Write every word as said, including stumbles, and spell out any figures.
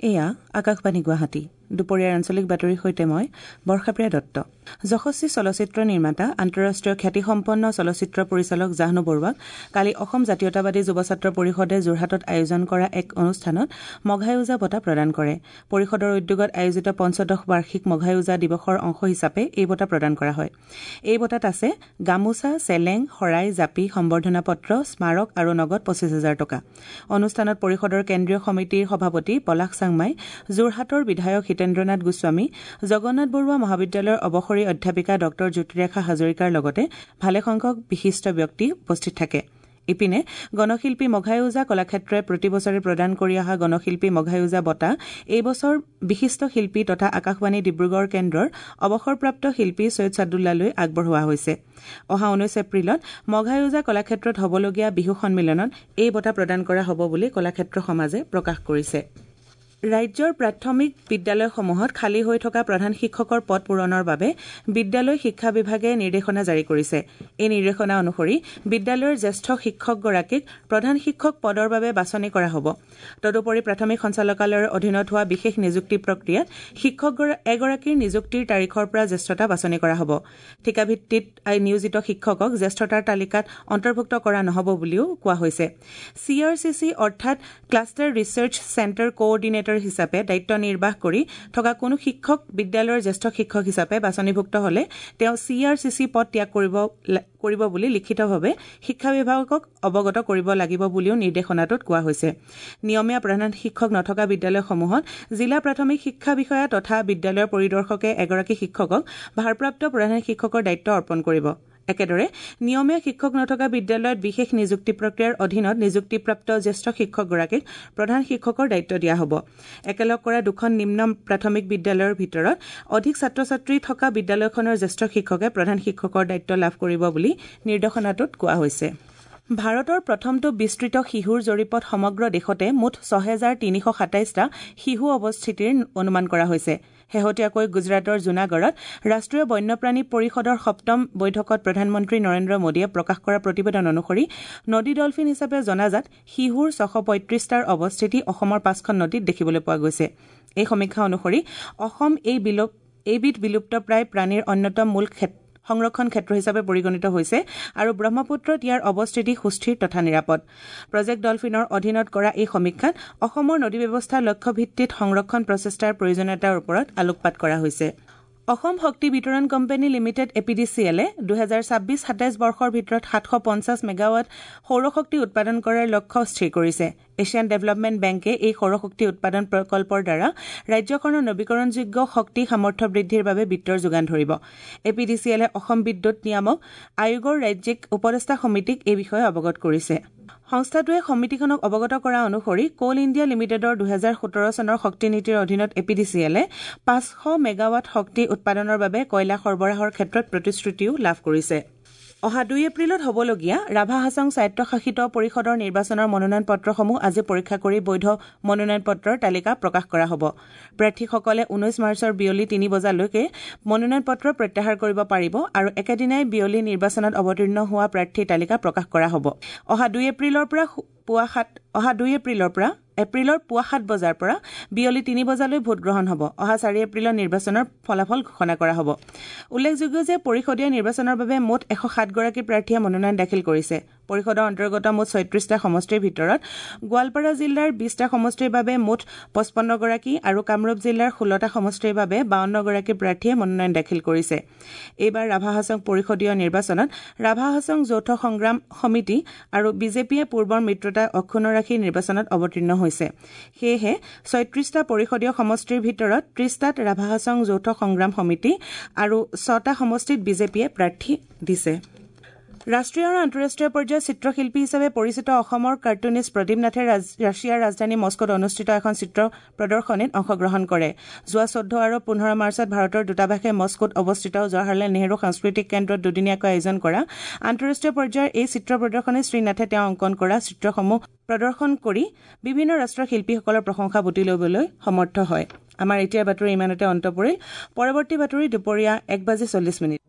এয়া আকাশবাণী গুৱাহাটী। দুপৰীয়াৰ আঞ্চলিক বাতৰিৰ সৈতে মই বৰ্ষাপ্ৰিয়া দত্ত। যশস্বী চলচ্চিত্ৰ নিৰ্মাতা আন্তঃৰাষ্ট্ৰীয় খ্যাতিসম্পন্ন চলচ্চিত্ৰ পৰিচালক জাহ্নু বৰুৱাক কালি অসম জাতীয়তাবাদী যুৱ ছাত্ৰ পৰিষদে যোৰহাটত আয়োজন কৰা এক অনুষ্ঠানত মঘাই ওজা বঁটা প্ৰদান কৰে। পৰিষদৰ উদ্যোগত আয়োজিত পঞ্চদশ বাৰ্ষিক মঘাই ওজা দিৱসৰ অংশ হিচাপে এই বঁটা প্ৰদান কৰা হয়। এই বঁটাত আছে গামোচা, চেলেং, শৰাই, জাপি, সম্বৰ্ধনা পত্ৰ, স্মাৰক আৰু নগদ পঁচিছ হাজাৰ টকা। অনুষ্ঠানত পৰিষদৰ কেন্দ্ৰীয় সমিতিৰ সভাপতি পলাশ চাংমাই, যোৰহাটৰ বিধায়ক হিতেন্দ্ৰনাথ গোস্বামী, জগন্নাথ বৰুৱা মহাবিদ্যালয়ৰ অৱসৰী অধ্যাপিকা ডঃ জ্যোতিৰেখা হাজৰিকাৰ লগতে ভালেসংখ্যক বিশিষ্ট ব্যক্তি উপস্থিত থাকে। ইপিনে গণশিল্পী মঘাই ওজা কলাক্ষেত্ৰই প্ৰতি বছৰে প্ৰদান কৰি অহা গণশিল্পী মঘাই ওজা বঁটা এই বছৰ বিশিষ্ট শিল্পী তথা আকাশবাণী ডিব্ৰুগড় কেন্দ্ৰৰ অৱসৰপ্ৰাপ্ত শিল্পী ছৈয়দ ছাদুল্লালৈ আগবঢ়োৱা হৈছে। অহা ঊনৈশ এপ্ৰিলত মঘাই ওজা কলাক্ষেত্ৰত হ'বলগীয়া বিহু সন্মিলনত এই বঁটা প্ৰদান কৰা হ'ব বুলি কলাক্ষেত্ৰ সমাজে প্ৰকাশ কৰিছে। ৰাজ্যৰ প্ৰাথমিক বিদ্যালয়সমূহত খালী হৈ থকা প্ৰধান শিক্ষকৰ পদ পূৰণৰ বাবে বিদ্যালয় শিক্ষা বিভাগে নিৰ্দেশনা জাৰি কৰিছে। এই নিৰ্দেশনা অনুসৰি বিদ্যালয়ৰ জ্যেষ্ঠ শিক্ষকগৰাকীক প্ৰধান শিক্ষক পদৰ বাবে বাছনি কৰা হ'ব। তদুপৰি প্ৰাথমিক সঞ্চালকালয়ৰ অধীনত হোৱা বিশেষ নিযুক্তি প্ৰক্ৰিয়াত শিক্ষক এগৰাকীৰ নিযুক্তিৰ তাৰিখৰ পৰা জ্যেষ্ঠতা বাছনি কৰা হ'ব। ঠিকাভিত্তিত নিয়োজিত শিক্ষকক জ্যেষ্ঠতাৰ তালিকাত অন্তৰ্ভুক্ত কৰা নহ'ব বুলিও কোৱা হৈছে। চি আৰ চি চি অৰ্থাৎ ক্লাষ্টাৰ ৰিচাৰ্চ চেণ্টাৰ কোঅৰ্ডিনেটৰ হিচাপে দায়িত্ব নিৰ্বাহ কৰি থকা কোনো শিক্ষক বিদ্যালয়ৰ জ্যেষ্ঠ শিক্ষক হিচাপে বাছনিভুক্ত হ'লে তেওঁ চি আৰ চি চি পদ ত্যাগ কৰিব কৰিব বুলি লিখিতভাৱে শিক্ষা বিভাগক অৱগত কৰিব লাগিব বুলিও নিৰ্দেশনাটোত কোৱা হৈছে। নিয়মীয়া প্ৰধান শিক্ষক নথকা বিদ্যালয়সমূহত জিলা প্ৰাথমিক শিক্ষা বিষয়া তথা বিদ্যালয়ৰ পৰিদৰ্শকে এগৰাকী শিক্ষকক ভাৰপ্ৰাপ্ত প্ৰধান শিক্ষকৰ দায়িত্ব অৰ্পণ কৰিব। একেদৰে নিয়মীয়া শিক্ষক নথকা বিদ্যালয়ত বিশেষ নিযুক্তি প্ৰক্ৰিয়াৰ অধীনত নিযুক্তিপ্ৰাপ্ত জ্যেষ্ঠ শিক্ষকগৰাকীক প্ৰধান শিক্ষকৰ দায়িত্ব দিয়া হ'ব। একেলগ কৰা দুখন নিম্ন প্ৰাথমিক বিদ্যালয়ৰ ভিতৰত অধিক ছাত্ৰ ছাত্ৰী থকা বিদ্যালয়খনৰ জ্যেষ্ঠ শিক্ষকে প্ৰধান শিক্ষকৰ দায়িত্ব লাভ কৰিব বুলি নিৰ্দেশনাটোত কোৱা হৈছে। ভাৰতৰ প্ৰথমটো বিস্তৃত শিহুৰ জৰীপত সমগ্ৰ দেশতে মুঠ ছহেজাৰ তিনিশ সাতাইছটা শিহু অৱস্থিতিৰ অনুমান কৰা হৈছে। শেহতীয়াকৈ গুজৰাটৰ জুনাগড়ত ৰাষ্ট্ৰীয় বন্যপ্ৰাণী পৰিষদৰ সপ্তম বৈঠকত প্ৰধানমন্ত্ৰী নৰেন্দ্ৰ মোদীয়ে প্ৰকাশ কৰা প্ৰতিবেদন অনুসৰি নদী ডলফিন হিচাপে জনাজাত শিহুৰ ছশ পঁয়ত্ৰিছটাৰ অৱস্থিতি অসমৰ পাঁচখন নদীত দেখিবলৈ পোৱা গৈছে। এই সমীক্ষা অনুসৰি অসম এই বিলুপ এইবিধ বিলুপ্তপ্ৰায় প্ৰাণীৰ অন্যতম মূল সংৰক্ষণ ক্ষেত্ৰ হিচাপে পৰিগণিত হৈছে আৰু ব্ৰহ্মপুত্ৰত ইয়াৰ অৱস্থিতি সুস্থিৰ তথা নিৰাপদ। প্ৰজেক্ট ডলফিনৰ অধীনত কৰা এই সমীক্ষাত অসমৰ নদী ব্যৱস্থা লক্ষ্যভিত্তিত সংৰক্ষণ প্ৰচেষ্টাৰ প্ৰয়োজনীয়তাৰ ওপৰত আলোকপাত কৰা হৈছে। অসম শক্তি বিতৰণ company limited A P D C এলে দুহেজাৰ ছাব্বিছ সাতাইছ বৰ্ষৰ ভিতৰত সাতশ পঞ্চাছ মেগাৱাট সৌৰশক্তি উৎপাদন কৰাৰ লক্ষ্য স্থিৰ কৰিছে। এছিয়ান ডেভেলপমেণ্ট বেংকে এই সৌৰশক্তি উৎপাদন প্ৰকল্পৰ দ্বাৰা ৰাজ্যখনৰ নৱীকৰণযোগ্য শক্তি সামৰ্থ্য বৃদ্ধিৰ বাবে বিত্তৰ যোগান ধৰিব। এ পি ডি চি এলে অসম বিদ্যুৎ নিয়ামক আয়োগৰ ৰাজ্যিক উপদেষ্টা সমিতিক এই বিষয়ে অৱগত কৰিছে। সংস্থাটোৱে সমিতিখনক অৱগত কৰা অনুসৰি কোল ইণ্ডিয়া লিমিটেডৰ দুহেজাৰ সোতৰ চনৰ শক্তি নীতিৰ অধীনত এ পি ডি চি এলে পাঁচশ মেগাৱাট শক্তি উৎপাদনৰ বাবে কয়লা সৰবৰাহৰ ক্ষেত্ৰত প্ৰতিশ্ৰুতিও লাভ কৰিছে। অহা দুই এপ্ৰিলত হ'বলগীয়া ৰাভা হাছং স্বায়ত্তশাসিত পৰিষদৰ নিৰ্বাচনৰ মনোনয়ন পত্ৰসমূহ আজি পৰীক্ষা কৰি বৈধ মনোনয়ন পত্ৰৰ তালিকা প্ৰকাশ কৰা হ'ব। প্ৰাৰ্থীসকলে ঊনৈশ মাৰ্চৰ বিয়লি তিনি বজালৈকে মনোনয়ন পত্ৰ প্ৰত্যাহাৰ কৰিব পাৰিব আৰু একেদিনাই বিয়লি নিৰ্বাচনত অৱতীৰ্ণ হোৱা প্ৰাৰ্থীৰ তালিকা প্ৰকাশ কৰা হ'ব। অহা দুই এপ্ৰিলৰ পৰা পুৱা সাত অহা দুই এপ্ৰিলৰ পৰা এপ্ৰিলৰ পুৱা সাত বজাৰ পৰা বিয়লি তিনি বজালৈ ভোটগ্ৰহণ হ'ব। অহা চাৰি এপ্ৰিলত নিৰ্বাচনৰ ফলাফল ঘোষণা কৰা হ'ব। উল্লেখযোগ্য যে পৰিষদীয় নিৰ্বাচনৰ বাবে মুঠ এশ সাতগৰাকী প্ৰাৰ্থীয়ে মনোনয়ন দাখিল কৰিছে। পৰিষদৰ অন্তৰ্গত মুঠ ছয়ত্ৰিছটা সমষ্টিৰ ভিতৰত গোৱালপাৰা জিলাৰ বিছটা সমষ্টিৰ বাবে মুঠ পঁচপন্নগৰাকী আৰু কামৰূপ জিলাৰ ষোল্লটা সমষ্টিৰ বাবে বাৱন্নগৰাকী প্ৰাৰ্থীয়ে মনোনয়ন দাখিল কৰিছে। এইবাৰ ৰাভা হাছং পৰিষদীয় নিৰ্বাচনত ৰাভা হাছং যৌথ সংগ্ৰাম সমিতি আৰু বিজেপিয়ে পূৰ্বৰ মিত্ৰতা অক্ষুণ্ণ ৰাখি নিৰ্বাচনত অৱতীৰ্ণ হৈছে। সেয়েহে ছয়ত্ৰিছটা পৰিষদীয় সমষ্টিৰ ভিতৰত ত্ৰিছটাত ৰাভা হাছং যৌথ সংগ্ৰাম সমিতি আৰু ছটা সমষ্টিত বিজেপিয়ে প্ৰাৰ্থী দিছে। ৰাষ্ট্ৰীয় আৰু আন্তঃৰাষ্ট্ৰীয় পৰ্যায়ৰ চিত্ৰশিল্পী হিচাপে পৰিচিত অসমৰ কাৰ্টুনিষ্ট প্ৰদীপ নাথে ৰাছিয়াৰ ৰাজধানী মস্কোত অনুষ্ঠিত এখন চিত্ৰ প্ৰদৰ্শনীত অংশগ্ৰহণ কৰে। যোৱা চৈধ্য আৰু পোন্ধৰ মাৰ্চত ভাৰতৰ দূতাবাসে মস্কোত অৱস্থিত জৱাহৰলাল নেহৰু সাংস্কৃতিক কেন্দ্ৰত দুদিনীয়াকৈ আয়োজন কৰা আন্তঃৰাষ্ট্ৰীয় পৰ্যায়ৰ এই চিত্ৰ প্ৰদৰ্শনীত শ্ৰীনাথে তেওঁ অংকন কৰা চিত্ৰসমূহ প্ৰদৰ্শন কৰি বিভিন্ন ৰাষ্ট্ৰৰ শিল্পীসকলৰ প্ৰশংসা বুটলি ল'বলৈ সমৰ্থ হয়। আমাৰ এতিয়াৰ বাতৰি ইমানতে অন্ত পৰিল। পৰৱৰ্তী বাতৰি দুপৰীয়া এক বাজি চল্লিছ মিনিট।